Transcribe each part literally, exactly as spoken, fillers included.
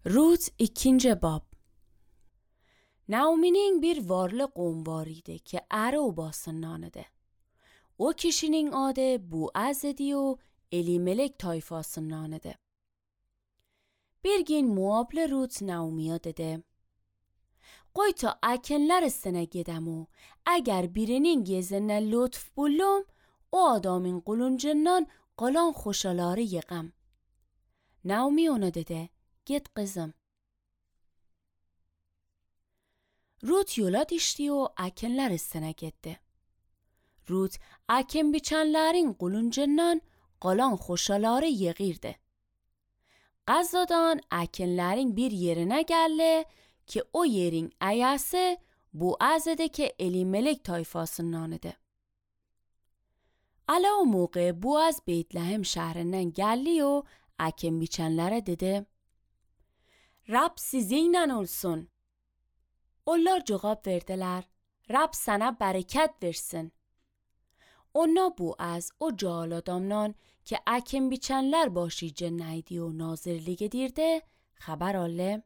Rut ikinci bab. Naomi'nin bir varlı qoğum var idi ki əri obasındanıdır. O kişinin adı Boaz idi o Elimelek tayfasındanıdır. Bir gün Moablı Rut Naomi'ye dedi: "Qoy ta əkinlər üstünə gedəm o, əgər birinin gezinə lütf buldum, o adamın qılıncından qalan xoşaları yığam." Naomi ona dedi: "Git kızım." Rut yola düştü o əkinlər üstünə getdi. Rut əkin biçənlərin qılıncından qalan xoşaları yığırdı. Qazadan əkinlərin bir yerine geldi ki o yerin əyası Boaz idi ki Elimelek tayfasındanıdır. Ala o موقع Boaz Beytlehem şəhrindən gəldi o əkin biçənlərə dedi: "Rab sizinlə olsun." Onlar cevap verdiler: "Rab sana bereket versin." Ona Boaz o cahil adamdan ki əkin biçənlər başıca neydi o nazirlik edirdi xəbər aldı: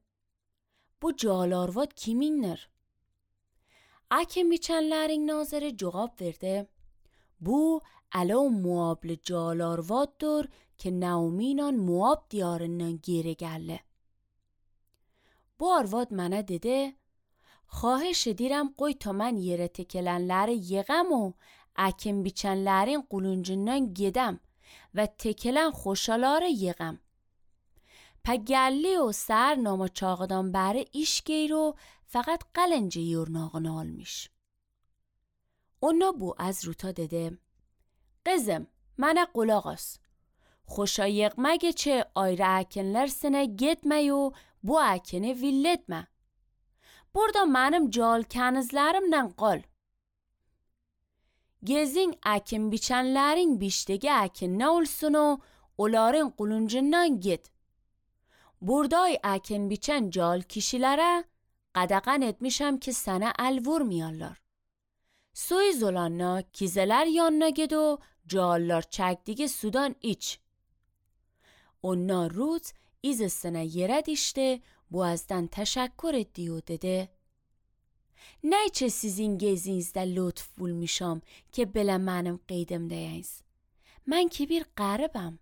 "Bu cahil arvad kimindir?" Əkin biçənlərin naziri cevap verdi: "Bu Ala Moablı cahil arvaddır ki Naomi'yle Moab diyarından geri geldi." Bu arvad mənə dedi: "Xahiş edirəm qoy ta mən yerə tekilənləri yığam o əkin biçənlərin qılıncından gedəm və tekilən xoşaları yığam." Pa gəldi o sər nama çağıdan bəri iş geyir o faqat qalınca yurnağını almış. Ona Boaz Rut'a dedi: "Qızım, mənə qulaq as. Xoşa yığmaq için ayrı əkinlər sinə getmə o bu əkini villetmə. Burada mənim cal kənizlərimlə qal. Gezin əkin biçənlərin biçdiyi əkin nə olsun o onların qılıncından get. Burday əkin biçən cal kişilərə qadağan etmişəm ki sənə əl vurmayarlar. Suyu zolanna kizeler yanına ged o callar çəkdiyi sudan iç." Ona Rut izisine yere dişti, Boaz'dan teşekkür etti o dedi: "Neyçe sizin gezinizde lütf bulmuşam ki belə mənim qeydimdəyiniz. Mən ki bir qəribəm."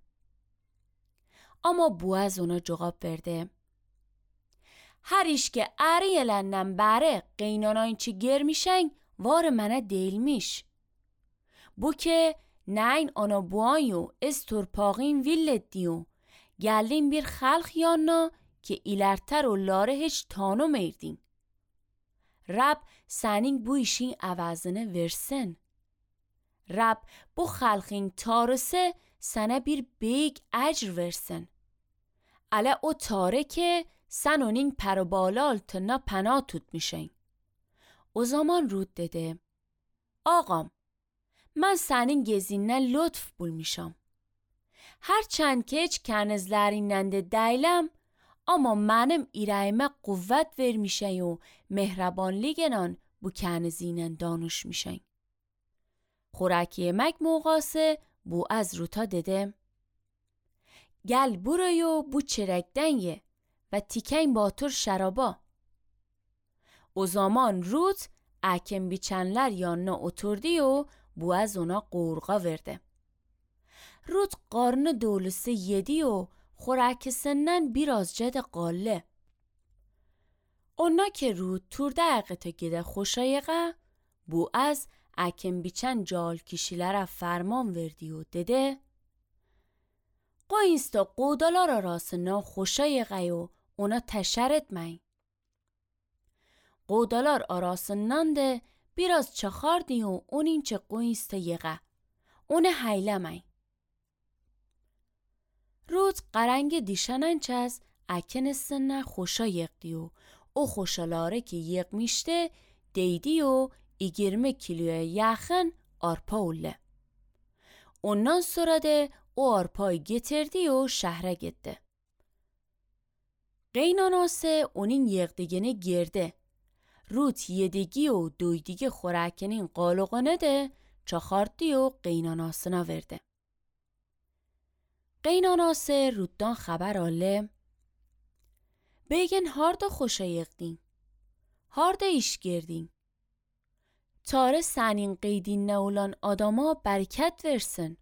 Ama Boaz ona cevap verdi: "Her iş ki əri eləndən bəri qeynanayınçı germişən var mənə deyilmiş. Bu ki neyn ana buanyo ez torpağın villetdiyo geldin bir xalq yanına ki ilerter onları hiç tanımayırdin. Rab senin bu işin əvəzini versin. Rab bu xalqın tarısı sana bir büyük ecr versin. Ala o tarı ki sen onun perbalı altına pənah tutmuşsun." O zaman Rut dedi: "Ağam, mən sənin gezindən lütf bulmuşam. Hərçənd ki heç kənizlərindən də deyiləm, amma mənim irəyimə qüvvət vermişən o mehrabanlıqla bu kənizinlə danışmışən." Xorək yemək موقعası Boaz Rut'a dedi: "Gel buraya bu çörəkdən ye və tikən batır şəraba." O zaman Rut əkin biçənlər yanına oturdu o Boaz ona qurğa verdi. Rut qarnı dolusu yedi o xorəkisindən birazca da qaldı. Ona ki Rut turda əqətə gedə xoşayıqa, Boaz əkin biçən cal kişilərə fərman verdi o dedi: "Qoyun sta qodalar arasından xoşayıqa o ona təşər etməyin." Qodalar arasından da biraz çaxardı o onun çə qoyun sta yıqa. Onu hayləməyin. Rut qarəngi dişənən çəz əkin üstündən xoşa yıqdı o. O xoşaları ki yıqmışdı deydi o yirmi kiloya yaxın arpa oldu. Ondan sonra da o arpayı getirdi o şəhərə getdi. Qeynanası onun yıqdığını girdi. Rut yediği o doyduğu xorəkinin qalığını da çaxardı o qeynanasına verdi. Qeynanası Rut'dan xəbər aldı: Begen harda hoşayıqdin. Harda iş girdin. Tare senin qeydin ne olan adama bereket versin.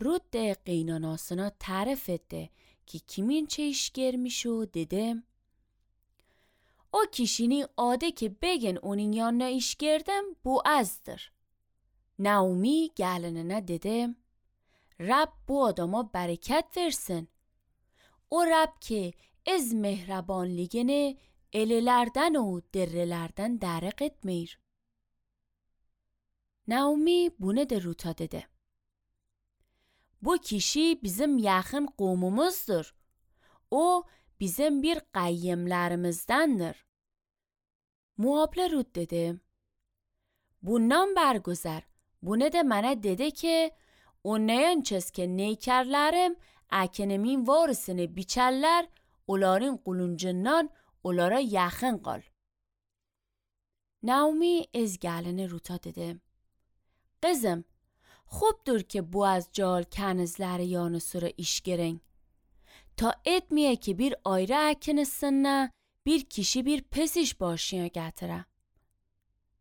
Rut de qeynanasına tarif etti ki kimin çe iş girmiş o dedim. O kişinin adı ki begen onun yanına iş girdim bu azdır. Naomi gelinine dedim. Rab bu adama bereket versin. O Rab ki از mehrabanligini elilerden o derrelerden derik etmeyir. Naomi bunu de Rut'a dedi. Bu kişi bizim yakın qovmumuzdur. O bizim bir qayyimlerimizdendir. Muhable Rut dedi. Bundan bergüzar. Bunu de bana dedi ki o neyan çiz ki neykerlerim aknemin varisini biçerler onların quluncundan onlara yakın qal. Naomi از gelini Rut'a dedi. Qızım, خوبdur ki bu az cal kanızları yanı sıra iş girin. Ta etmiye ki bir ayrı akinısına bir kişi bir pesiş başına getire.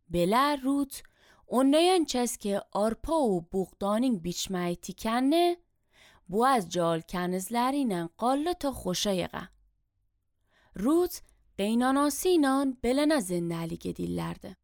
Bela Rut, onneyen çez ki arpa و buğdanın biçmeyi tikenne, bu az cal kanızlarıyla qalle ta خوشایقه. Rut, قیناناسینان بلنه زندلی گدیلlerdi.